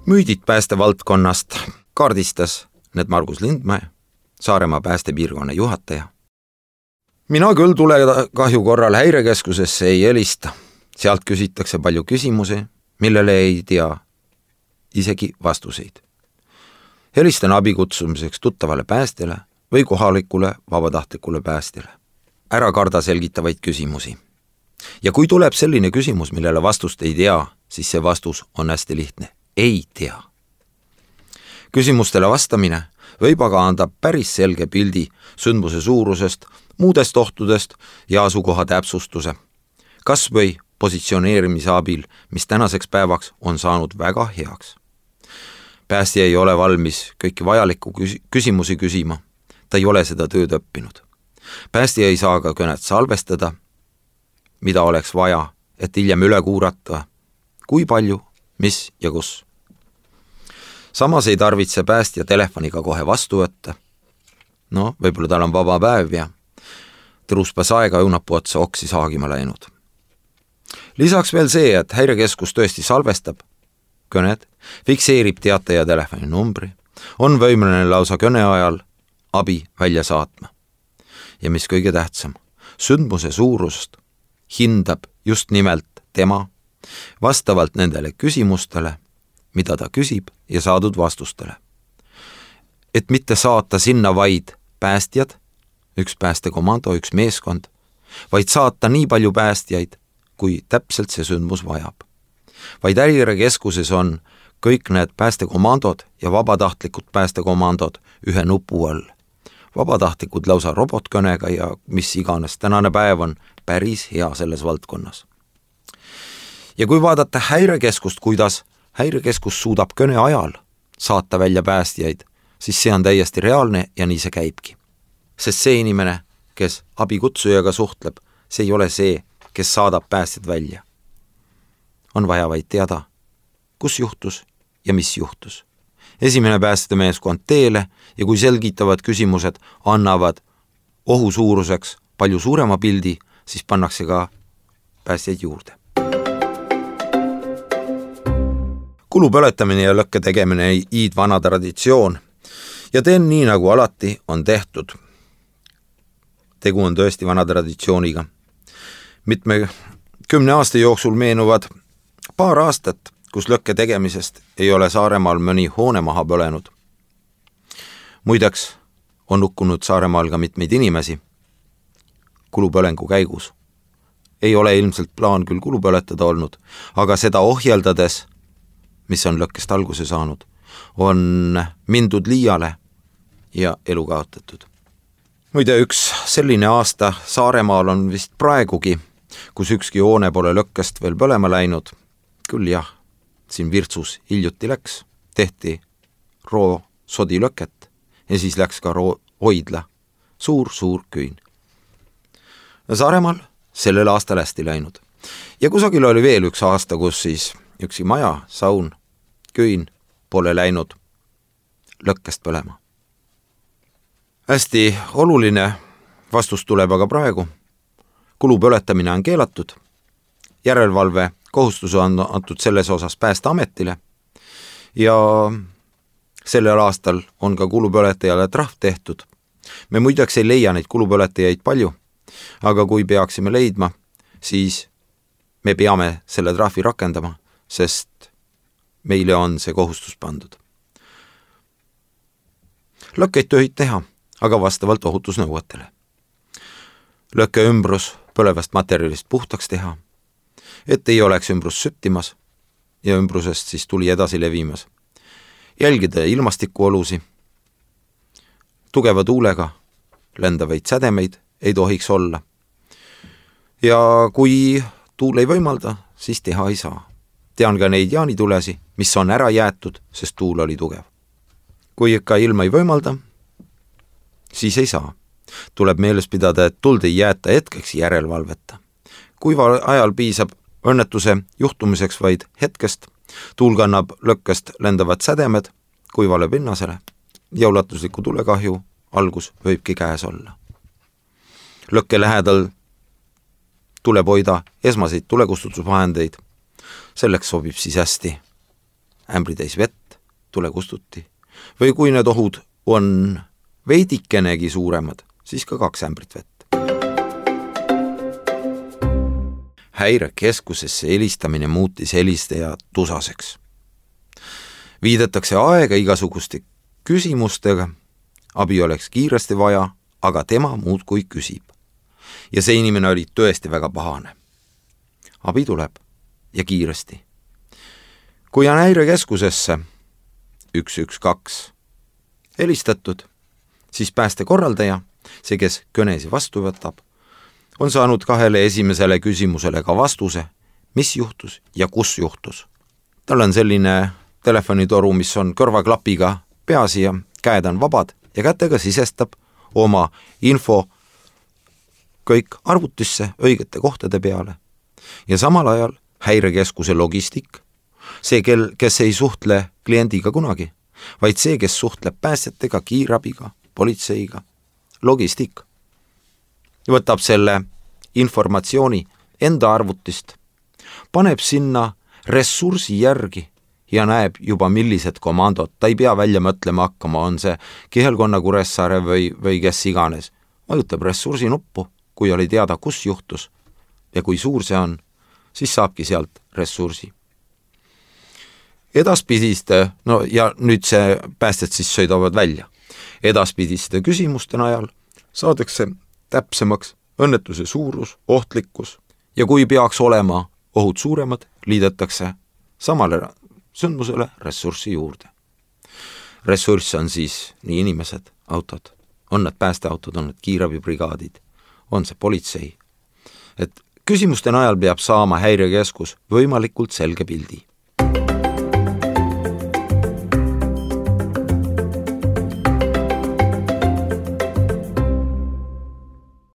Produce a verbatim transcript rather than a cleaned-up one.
Müüdid päästevaldkonnast kaardistas need Margus Lindmäe, Saaremaa päästepiirkonna juhataja. Mina küll tule kahju korral häirekeskusesse ei helista. Sealt küsitakse palju küsimusi, millele ei tea isegi vastuseid. Helistan abikutsumiseks tuttavale päästjale või kohalikule vabatahtlikule päästjale. Ära karda selgitavaid küsimusi. Ja kui tuleb selline küsimus, millele vastust ei tea, siis see vastus on hästi lihtne. Ei tea. Küsimustele vastamine võib aga anda päris selge pildi sündmuse suurusest, muudest ohtudest ja asukoha täpsustuse. Kas või positsioneerimise abil, mis tänaseks päevaks on saanud väga heaks. Päästja ei ole valmis kõiki vajalikku küsimusi küsima. Ta ei ole seda tööd õppinud. Päästja ei saa ka kõnet salvestada, mida oleks vaja, et hiljem üle kuurata, kui palju, mis ja kus. Samas ei tarvitse päästja telefoniga kohe vastu võtta. No, võib-olla tal on vaba päev ja tõruspas aega õunapuu otsa oksi saagima läinud. Lisaks veel see, et häirekeskus tõesti salvestab kõned, fikseerib teataja telefoni numbri, on võimeline lausa kõne ajal abi välja saatma. Ja mis kõige tähtsam, sündmuse suurust hindab just nimelt tema vastavalt nendele küsimustele, mida ta küsib ja saadud vastustele. Et mitte saata sinna vaid päästjad, üks päästekomando, üks meeskond, vaid saata nii palju päästjaid, kui täpselt see sündmus vajab. Vaid häirekeskuses on kõik need päästekomandod ja vabatahtlikud päästekomandod ühe nupu all. Vabatahtlikud lausa robotkõnega ja mis iganes tänane päev on päris hea selles valdkonnas. Ja kui vaadata häirekeskust, kuidas häirekeskus suudab kõne ajal saata välja päästjaid, siis see on täiesti reaalne ja nii see käibki. Sest see inimene, kes abikutsujaga suhtleb, see ei ole see, kes saadab päästjad välja. On vaja vaid teada, kus juhtus ja mis juhtus. Esimene päästemeeskond teele ja kui selgitavad küsimused annavad ohu suuruseks palju suurema pildi, siis pannakse ka päästjaid juurde. Kulu põletamine ja lõkke tegemine iid vana traditsioon ja teen nii, nagu alati on tehtud. Tegu on tõesti vana traditsiooniga. Mitme kümne aasta jooksul meenuvad paar aastat, kus lõkke tegemisest ei ole Saaremaal mõni hoone maha põlenud. Muideks on hukkunud Saaremaal ka mitmeid inimesi kulupõlengu käigus. Ei ole ilmselt plaan küll kulu põletada olnud, aga seda ohjeldades, mis on lõkkest alguse saanud, on mindud liiale ja elu kaotatud. Muide, üks selline aasta Saaremaal on vist praegugi, kus ükski hoone pole lõkkest veel põlema läinud. Küll jah, siin Virtsus hiljuti läks, tehti roo sodilõket ja siis läks ka roo hoidla, suur-suur küün. Saaremaal sellel aastal hästi läinud. Ja kusagil oli veel üks aasta, kus siis üksi maja, saun, küün pole läinud lõkkest põlema. Hästi oluline vastus tuleb aga praegu. Kulu põletamine on keelatud. Järelevalve kohustus on antud selles osas Päästeametile ja sellel aastal on ka kulupõletajale trahv tehtud. Me muideks ei leia neid kulupõletajaid palju, aga kui peaksime leidma, siis me peame selle trahvi rakendama, sest meile on see kohustus pandud. Lõkkeid tohib teha, aga vastavalt ohutusnõuetele. Lõkke ümbrus põlevast materjalist puhtaks teha, et ei oleks ümbrus süttimas ja ümbrusest siis tuli edasi levimas. Jälgida ilmastikuolusi, tugeva tuulega lendavaid sädemeid ei tohiks olla. Ja kui tuul ei võimalda, siis teha ei saa. Tean ka neid jaanitulesi, mis on ära jäetud, sest tuul oli tugev. Kui ikka ilma ei võimalda, siis ei saa. Tuleb meeles pidada, et tuld ei jäeta hetkeks järelevalveta. Kuiva ajal piisab õnnetuse juhtumiseks vaid hetkest, tuul kannab lõkkest lendavad sädemed kuivale pinnasele ja ulatusliku tulekahju algus võibki käes olla. Lõkke lähedal tuleb hoida esmaseid tulekustutusvahendeid. Selleks sobib siis hästi ämbritäis vett, tule kustuti. Või kui need ohud on veidikenegi suuremad, siis ka kaks ämbrit vett. Häirekeskusesse helistamine muutis helistaja tusaseks. Viidetakse aega igasuguste küsimustega, abi oleks kiiresti vaja, aga tema muudkui küsib. Ja see inimene oli tõesti väga pahane. Abi tuleb ja kiiresti. Kui on häirekeskusesse üks üks kaks helistatud, siis päästekorraldaja, see, kes kõnesi vastu võtab, on saanud kahele esimesele küsimusele ka vastuse, mis juhtus ja kus juhtus. Tal on selline telefonitoru, mis on kõrvaklapiga peas ja käed on vabad ja kätega sisestab oma info kõik arvutisse õigete kohtade peale. Ja samal ajal häirekeskuse logistik, see, kel, kes ei suhtle kliendiga kunagi, vaid see, kes suhtleb päästjatega, kiirabiga, politseiga, logistik, võtab selle informatsiooni enda arvutist, paneb sinna ressursi järgi ja näeb juba millised komandod, ta ei pea välja mõtlema hakkama, on see Kihelkonna Kuressaare või, või kes iganes. Vajutab ressursi nuppu, kui oli teada, kus juhtus ja kui suur see on, siis saabki sealt ressursi. Edaspidiste, no ja nüüd see päästjad siis sõidavad välja. Edaspidiste küsimuste najal saadakse täpsemaks õnnetuse suurus, ohtlikkus ja kui peaks olema ohud suuremad, liidetakse samale sündmusele ressurssi juurde. Ressurss on siis nii inimesed, autod, on need päästeautod, on need kiirabibrigaadid, on see politsei. Et küsimuste najal peab saama häirekeskus võimalikult selge pildi.